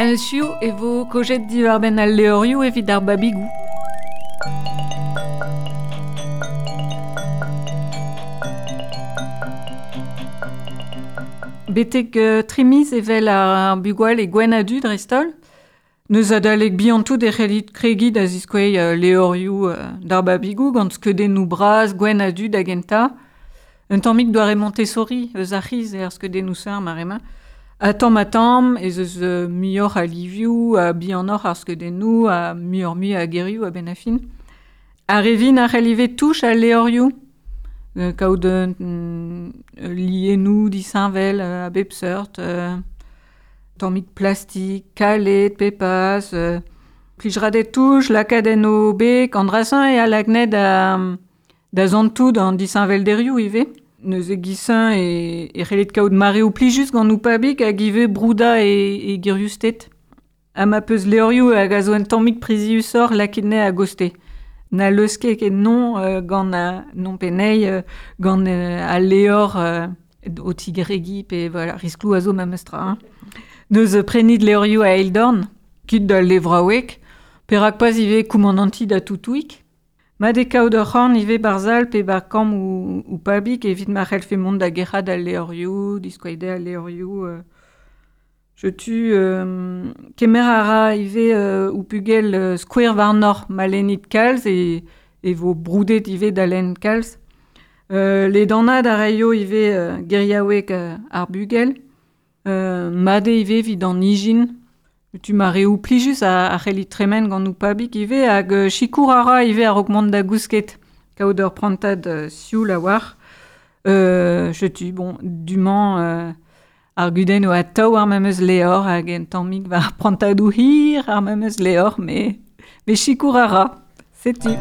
Hiziv e vo kaojet diwar-benn al levrioù evit ar babigoù. Betek tri miz evel ar bugale gwenn-ha-du dreist-holl. Neuze adalek bihan-tout e c'hellit kregiñ da ziskouez levrioù d'ar babigoù gant skeudennoù bras gwenn-ha-du da gentañ. Un tammig doare Montessori eus ar c'hiz eo ar skeudennoù-se ar mare-mañ. Ha tamm-ha-tamm ez eus muioc'h a livioù, ha bihanoc'h ar skeudennoù, ha muioc'h-mui a gerioù a-benn ar fin. Ar re vin a c'hell ivez touch al levrioù, kaout liennoù disheñvel a bep seurt, tammig plastik, kalet pe pas, plij 'ra dezhe touch, lakaat en o beg, an dra-se eo a lak anezhe da santout an disheñvelderioù ivez. Neuze giz-se e c'hellit kaout mareoù plijus gant ho pabig hag ivez broudañ e guriusted. Ha ma 'peus levrioù hag a zo un tammig priziusoc'h lakaet anezhe a-gostez. Na leusket ket non gant non pe anezhi gant al levr o tigregiñ pe voilà, riskloù a zo memes tra hein. Neuze prenit levrioù a eil dorn, kit d'al levraoueg. Perak pas ivez koumanantiñ da Toutouig. Mat eo kaout ur c'horn ivez barzhal pe ba kambr ho pabig evit ma c'hellfe mont da gerc'hat al levrioù, diskouez dezhe al levrioù. Setu kemer a ra ivez ho pugel skouer warnoc'h ma lennit kalz e vo broudet ivez da lenn kalz. Ledanaat a raio ivez geriaoueg ar bugel. Mat eo ivez evit an ijin. Setu mareoù plijus a c'hellit tremen gant ho pabig ivez hag sikour a ra ivez a-raok mont da gousket, kaout ur prantad sioul a-walc'h. Setu bon du-mañ ar gudenn eo atav ar memes levr hag un tammig war prantadoù hir ar memes levr met sikour a ra. Setu.